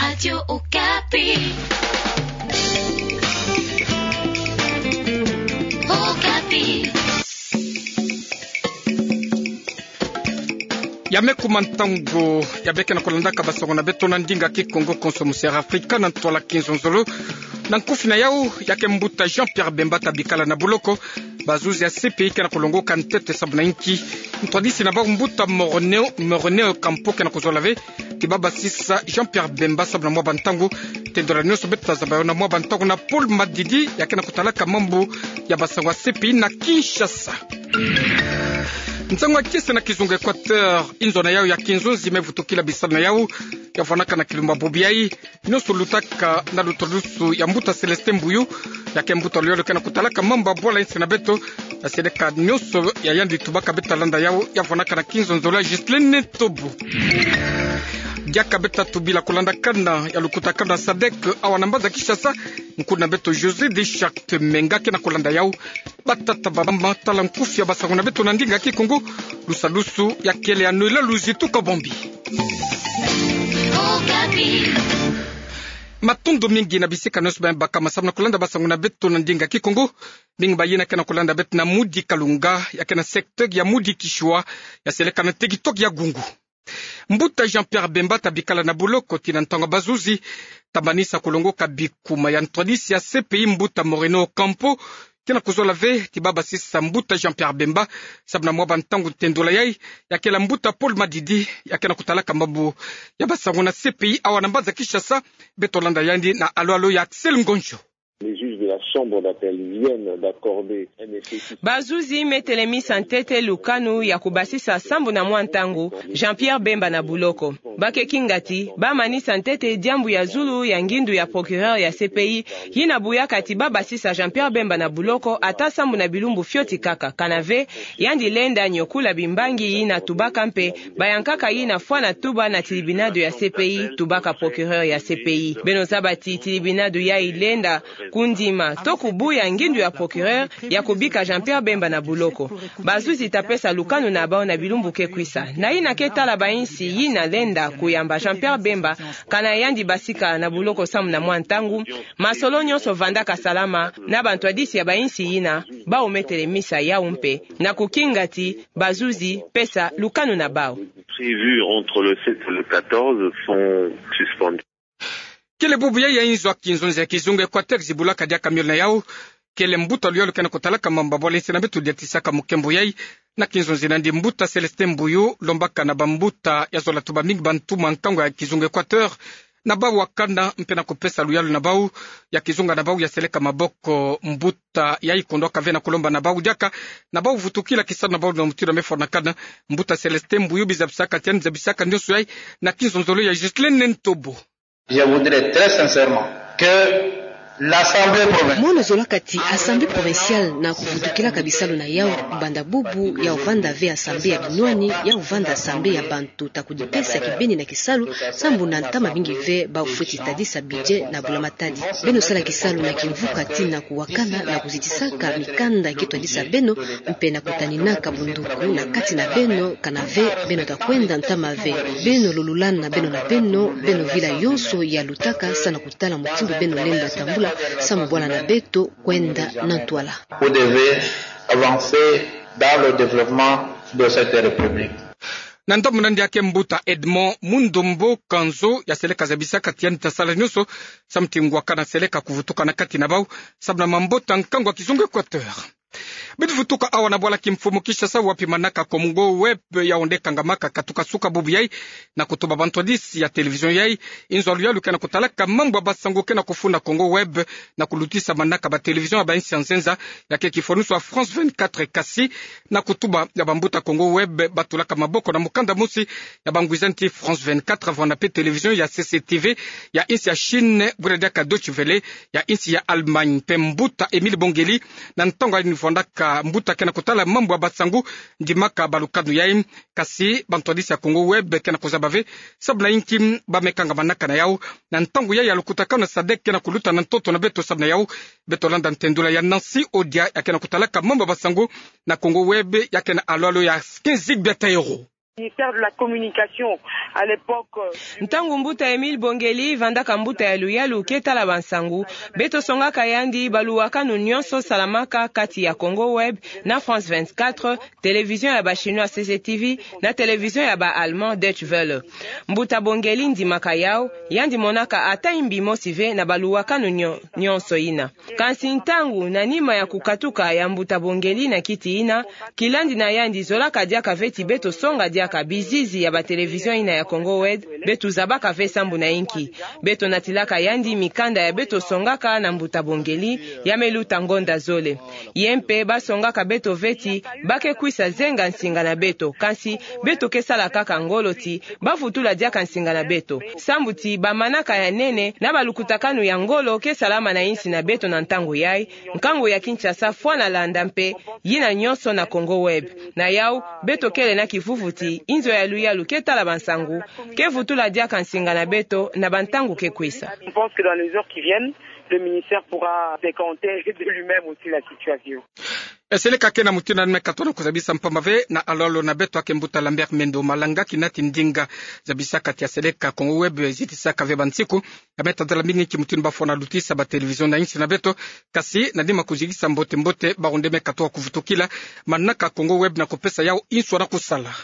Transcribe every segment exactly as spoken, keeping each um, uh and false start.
Radio Okapi. Okapi. Ya me kuma ntangu ya beke na kulandaka basango na beto na ndinga kikongo konso mu Sierra Africa na ntwala kinzonzolo. Na nkufi na yau, ya ke mbuta Jean-Pierre Bemba tabikala na buloko. Bazuzi ya C P I ke na kulongoka ntete sababu na inki ntwadisi na bau mbuta Morneo, Morneo Campo ke na kuzola ve ti babasisa Jean-Pierre Bemba sababu na mwa bantangu. Tendora nionso beto tazaba yo na mwa bantangu na Paul Madidi, ya ke na kutalaka mambu ya basango ya C P I na Kinshasa. Nsangu ya kiese na kizunga Equateur, inzo na yau ya kinzonzi me vutukila bisalu na yau ya vwanaka na kilumbu ya bobo yayi. Nionso lutaka na lutwadusu ya mbuta Célestin Mbuyu, ya ke mbuta luyalu ke na kutalaka mambu ya bwala insi na beto. Ya seleka nionso ya yandi tubaka beto talanda yau ya vwanaka na kinzonzolo ya Ghislaine Ntobo. Diaka beto tubila kulandakana ya lukutakana SADEC awa na mbanza Kinshasa, nkuna beto José de Charte Menga ke na kulanda yau. Batata bamama, tala nkufi ya basango na beto na ndinga kikongo, lusalusu ya kele ya Noëlla Luzitu Kabombi. Matondo mingi na bisika nionso bamibaka masamu na kulanda basango na beto na ndinga kikongo. Mingi bayina ke na kulanda beto na Mudi Kalunga, ya ke na secteur ya Mudi Kishua, ya seleka na territoire ya Gungu. Mbuta Jean-Pierre Bemba tabikala na buloko tii na ntangu ya bazuzi, tamanisa kulongoka bikuma ya ntwadisi ya C P I mbuta Moreno Ocampo, ke na kuzola ve ti babasisa mbuta Jean-Pierre Bemba sababu na mwa bantangu. Ntendola yayi ya kele ya mbuta Paul Madidi, ya ke na kutalaka mambu ya basango na C P I awa na mbanza Kinshasa. Beto landa yandi na alo-alo ya Axel Ngonjo. Les juges de la chambre d'appel viennent d'accorder un effet. Bazuzi me telemisa ntete lukanu ya kubasisa sambu na mwa ntangu Jean-Pierre Bemba na buloko. Ba ke kinga ti ba manisa ntete diambu ya zulu ya ngindu ya procureur ya C P I, yina buyaka ti babasisa Jean-Pierre Bemba na buloko ata sambu na bilumbu fioti kaka, kana ve yandi lenda nyokula bimbangi yina tubaka mpe bayankaka yina fwana tuba na tilibinado ya C P I, tubaka procureur ya C P I. Beno zaba ti tilibinado yayi lenda kundima to kubuya ngindu ya procureur ya kubika Jean-Pierre Bemba na buloko. Bazuzi tapesa lukanu na bau na bilumbu ke kwisa. Na yina ke tala bainsi yina lenda kuyamba Jean-Pierre Bemba, kana yandi basika na buloko sambu na mwa ntangu, masolo nionso vandaka salama na bantwadisi ya bainsi yina, bau me telemisa yau mpe, na kukinga ti bazuzi pesa lukanu na bau. Prévus entre le sept et le quatorze sont suspendus. Kele bubu yayi ya inzo ya kinzonzi ya kizunga Equateur zibulaka diaka miole na yau. Kele mbuta luyalu ke na kutalaka mambu ya bwala insi na beto diatisaka mukembo yayi. Na kinzonzi na yandi mbuta Célestin Mbuyu lombaka na bambuta ya zola tuba mingi bantu mwa nkangu ya kizunga Equateur na bau wakana mpe na kupesa luyalu na bau ya kizunga na bau ya seleka maboko. Mbuta yayi kondwaka ve na kulomba na bau diaka na bau vutukila kisalu na bau na mutindu ya me fwanakana. Mbuta Célestin Mbuyu bizabisaka ti yandi zabisaka nionso yayi na kinzonzolo ya Ghislaine Ntobo. Je voudrais très sincèrement que l'Assemblée provinciale. Mono zolaka ti Assemblée provinciale na kuvutukilaka bisalu na yau, banda bubu yau vanda ve assemblée ya binwani, yau vanda assemblée ya bantu ta kudipesa kibeni na kisalu, sambu na ntama mingi ve bau fweti tadisa budget na bula matadi. Beno sala kisalu na kimvuka ti na kuwakana na kuzitisaka mikanda ki twadisa beno, mpe na kutaninaka bunduku na kati na beno, kana ve beno ta kwenda ntama ve. Beno lululana beno na beno, beno vila yonso ya lutaka sa na kutala mutindu beno lenda tambula sambu bwala na beto kwenda na ntwala. Vous devez avancer dans le développement de cette république. Na ndambu na yandi ya ke mbuta Edmond Mundombo Kanzo ya seleka zabisaka ti yandi ta sala nionso samu ti ngwakana seleka kuvutuka na kati na bau samu na mambota nkangu ya kizunga Equateur. Bidi vutuka awa na bwala kimfumu Kinshasa, wapi manaka Congo Web ya onde kangamaka katuka suka bubu yayi na kutuba bantwadisi ya télévision yayi. Inzo ya luyalu ke na kutalaka mambu ya basango ke na kufunda Congo Web na kulutisa manaka ba télévision ya bainsi ya nzenza, ya ke kifwanusu ya France vingt-quatre, kasi na kutuba ya bambuta Congo Web batulaka maboko na mukanda mosi ya bangwizani ti France vingt-quatre, vwanda mpe télévision ya C C T V ya insi ya Chine, bwira diaka Deutsche Welle ya insi ya Allemagne. Mpe mbuta Émile Bongeli, na ntangu ya yandi vwandaka mbuta ke na kutala mambu ya basango, ndimaka balukanu yayi. Kasi bantwadisi ya Congo Web ke na kuzaba ve sabu na inki ba me kangamanaka na yau na ntangu yayi ya lukutakanu na SADEC ke na kuluta na ntoto na beto. Sabu na yau, beto landa ntendula ya Nancy Odia, ya ke na kutalaka mambu ya basango na Congo Web, ya ke na alo-alo ya Kin Zigbia Taïro. Ministère de la Communication, à l'époque, euh, Ntangu mbuta Émile Bongeli vandaka mbuta ya luyalu ke tala bansangu, beto songaka yandi baluwakanu nyonso salamaka kati ya Congo Web na France vingt-quatre, télévision ya ba Chinois C C T V, na télévision ya ba Allemand Deutsche Welle. Mbuta Bongeli ndimaka yawu, yandi monaka ata imbi mosi ve na baluwakanu nyo-, nyonso yina. Kansi ntangu, na nima ya kukatuka ya mbuta Bongeli na kiti yina, kilandi na yandi zolaka diaka ve ti beto songa diaka bizizi ya ba télévision yina ya Congo Web, beto zabaka ve sambu na inki. Beto natilaka yandi mikanda ya beto songaka na mbuta Bongeli, ya me luta ngonda zole. Ye mpe basongaka beto ve ti ba ke kwisa zenga nsinga na beto, kansi beto ke sala kaka ngolo ti ba vutula diaka nsinga na beto. Sambu ti ba manaka ya nene na balukutakanu ya ngolo ke salama na insi na beto na ntangu yayi, nkangu ya Kinshasa fwana landa mpe yina nyonso na Congo Web. Na yawu, beto kele na kivuvu ti inzo ya luyalu ke tala bansangu ke vutula diaka nsinga na beto na bantangu ke kwisa. Je pense que dans les heures qui viennent, le ministère pourra décanter de lui-même aussi la situation. E seleka ke na mutindu nani me katuka na kuzabisa mpamba ve na alo-alo na beto ake mbuta Lambert Mendo Malanga, kina ti ndinga zabisaka ti a seleka Congo Web zitisaka ve bansiku ya me tadala mingi ki mutindu ba fwana lutisa ba télévision na insi na beto, kansi na nima kuzikisa mbote-mbote bawu nde me katuka kuvutukila manaka Congo Web na kupesa yawu inswa na kusala.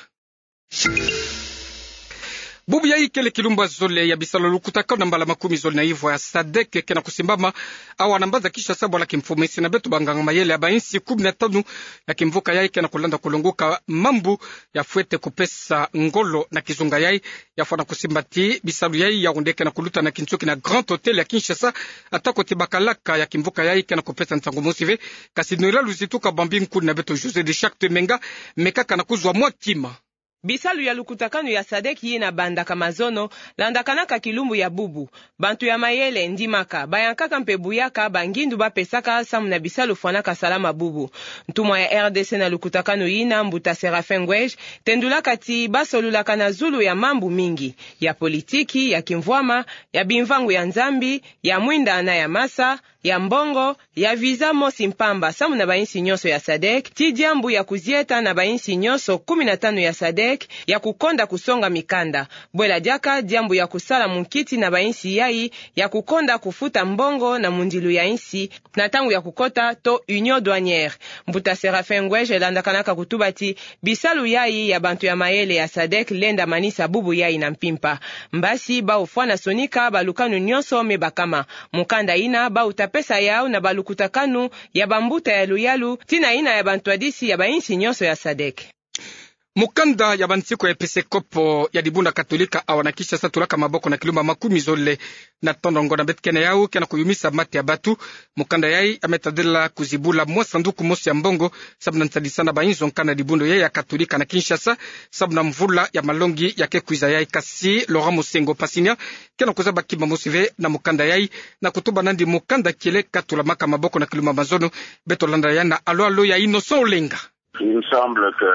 Bubu yayi kele kilumbu ya zole ya bisalu ya lukutakanu na mbala makumi zole na ivwa ya sadek ke na kusimbama awa na mbanza Kinshasa, bwala kimfumu insi na beto banganga mayele ya ba insi kumi na tanu ya kimvuka yayi ke na kulanda kulonguka mambu ya fwete kupesa ngolo na kizunga yayi. Ya fwana kusimba ti bisalu yayi yawu nde ke na kuluta na kinsuki na Grand Hôtel ya Kinshasa, atako ti bakalaka ya kimvuka yayi ke na kupesa nsangu mosi ve. Kansi Noëlla Luzituka Bambi, nkuna beto José de Charte Menga, me kaka na kuzwa mwa kima. Bisalu ya lukutakanu ya sadek yina bandaka mazono, landakanaka kilumbu ya bubu. Bantu ya mayele, ndimaka, bayankaka mpe buyaka bangindu ba pesaka samu na bisalu fwanaka salama bubu. Ntumwa ya R D C na lukutakanu yina, mbuta Séraphin Ngoueje, tendulaka ti ba solulaka na zulu ya mambu mingi, ya politiki, ya kimvwama, ya bimvangu ya Nzambi, ya mwinda na ya masa, ya mbongo, ya visa mosi mpamba samu na ba insi nyonso ya sadek, ti diambu ya kuzieta na ba insi nyonso kumi na tanu ya sadek ya kukonda kusonga mikanda. Bwela diaka diambu ya kusala munkiti na ba insi yayi ya kukonda kufuta mbongo na mundilu ya insi na ntangu ya kukota to union douanière. Mbuta Séraphin Ngoueje landakanaka kutuba ti bisalu yayi ya bantu ya mayele ya sadek lenda manisa bubu yayi na mpimpa. Mbasi bawu fwana sonika balukanu nyonso me bakama. Mukanda yina bawu ta pesa yawu na balukutakanu ya bambuta ya luyalu, tina yina ya bantwadisi ya ba insi nyonso ya sadek. Mukanda ya bansiku ya episkopo ya dibundu katolika awa na Kinshasa tulaka maboko na kilumbu ya makumi zole na tondongo na beto ke na yawu ke na kuyumisa mate ya batu. Mukanda yayi ya me tadila kuzibula mwa sanduku mosi ya mbongo samu na nsadisa na ba inzo nkanda dibundu yayi ya katolika na Kinshasa samu na mvula ya malongi ya ke kwiza yayi. Kansi Laurent Mosengo Pasinia ke na kuzaba kima mosi ve na mukanda yayi, na kutuba nandi mukanda kele katulamaka maboko na kilumbu ya mazono. Beto landa ya na alo-alo ya Innocent Olenga. Il me semble que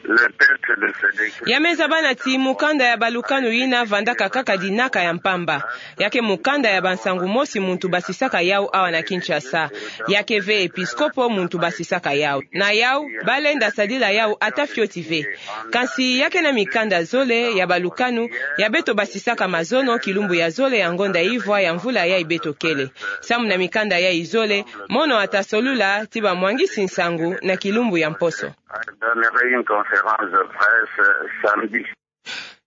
le texte de ce... Ya me zabana ti mukanda ya balukanu yina vandaka kaka dinaka ya mpamba. Ya ke mukanda ya bansangu mosi muntu basisaka yawu awa na Kinshasa. Ya ke ve episkopo muntu basisaka yawu. Na yawu, balenda sadila yawu ata fioti ve. Kansi ya ke na mikanda zole ya balukanu ya beto basisaka mazono kilumbu ya zole ya ngonda ivwa ya mvula yayi beto kele. Samu na mikanda yayi zole, mono ata solula ti bamwangisi nsangu na kilumbu ya mposo. Donnerai une conférence de presse samedi.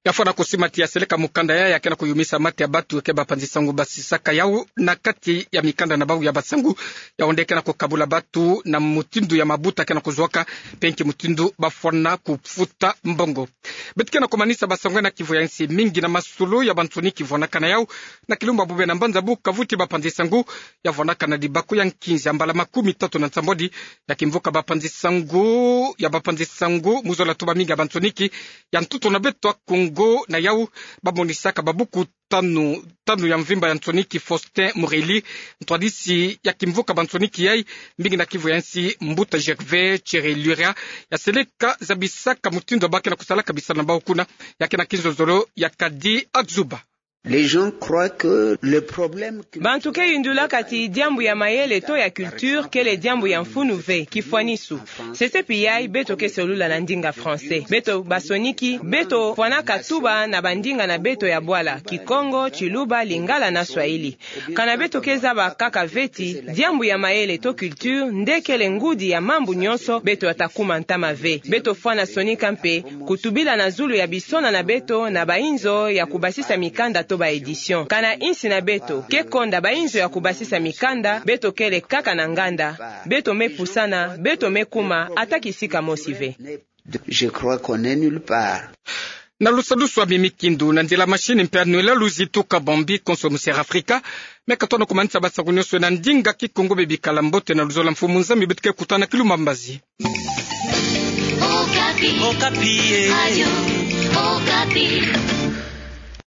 Ya fwana kusimba ti ya seleka mukanda yayi ya ke na kuyumisa mate ya batu ke bapanzi sangu basisaka yawu na kati ya mikanda na bawu ya bansangu. Yawu nde ke na kukabula batu na mutindu ya mabuta ke na kuzwaka, mpe nki mutindu ba fwana kufuta mbongo. Beto ke na kumanisa bansangu na kivu ya insi. Mingi na masolo ya bansoni kivwanaka na yawu na kilumbu ya bubu na mbanza Bukavu ti bapanzi sangu ya vwanaka na dibaku ya nkinzi ya mbala makumi tatu na nsambwadi ya kimvuka bapanzi sangu, ya bapanzi sangu mu zola tuba mingi ya bansoniki ya ntoto na beto ya Kongo. Na yawu, bamonisaka babuku tanu, tanu ya mvimba ya nsoniki Faustin Mureli, ntwadisi ya kimvuka bansoniki yayi, mingi na kivu ya insi mbuta Gervais Tshirelura, ya seleka zabisaka mutindu ba ke na kusalaka bisalu na bawu kuna, ya ke na kinzonzolo ya Kadi Axuba. Les gens croient que le problème culturel... Bantu ke yundulaka ti diambu ya mayele to ya culture kele diambu ya mfunu ve, kifwanisu. Sese pi yayi beto ke solula na ndinga français. Beto basoniki, beto fwanaka tuba na bandinga na beto ya bwala, Kikongo, Tshiluba, Lingala na Swahili. Kana beto ke zaba kaka ve ti diambu ya mayele to culture nde kele ngudi ya mambu nyonso, beto ya ta kuma ntama ve. Beto fwana sonika mpe kutubila na zulu ya bisona na beto na bainzo ya kubasisa mikanda to ba éditions. Kana insi na beto ke konda bainzo ya kubasisa mikanda, beto kele kaka na nganda. Beto me pusana, beto me kuma ata kisika mosi ve. Je crois qu'on n'est nulle part. Na lusadusu a Mimi Kindu, na ndila machine mpe Noël Luzi Tuka Bombi, konso mu Sierra Africa, me katona kumanisa basaku nyonso na ndinga Kikongo. Be bikala mbote na luzolo, mfumu Nzambi beto ke kutana kilumbu mbazi. Okapi. Okapi, eh. Radio Okapi.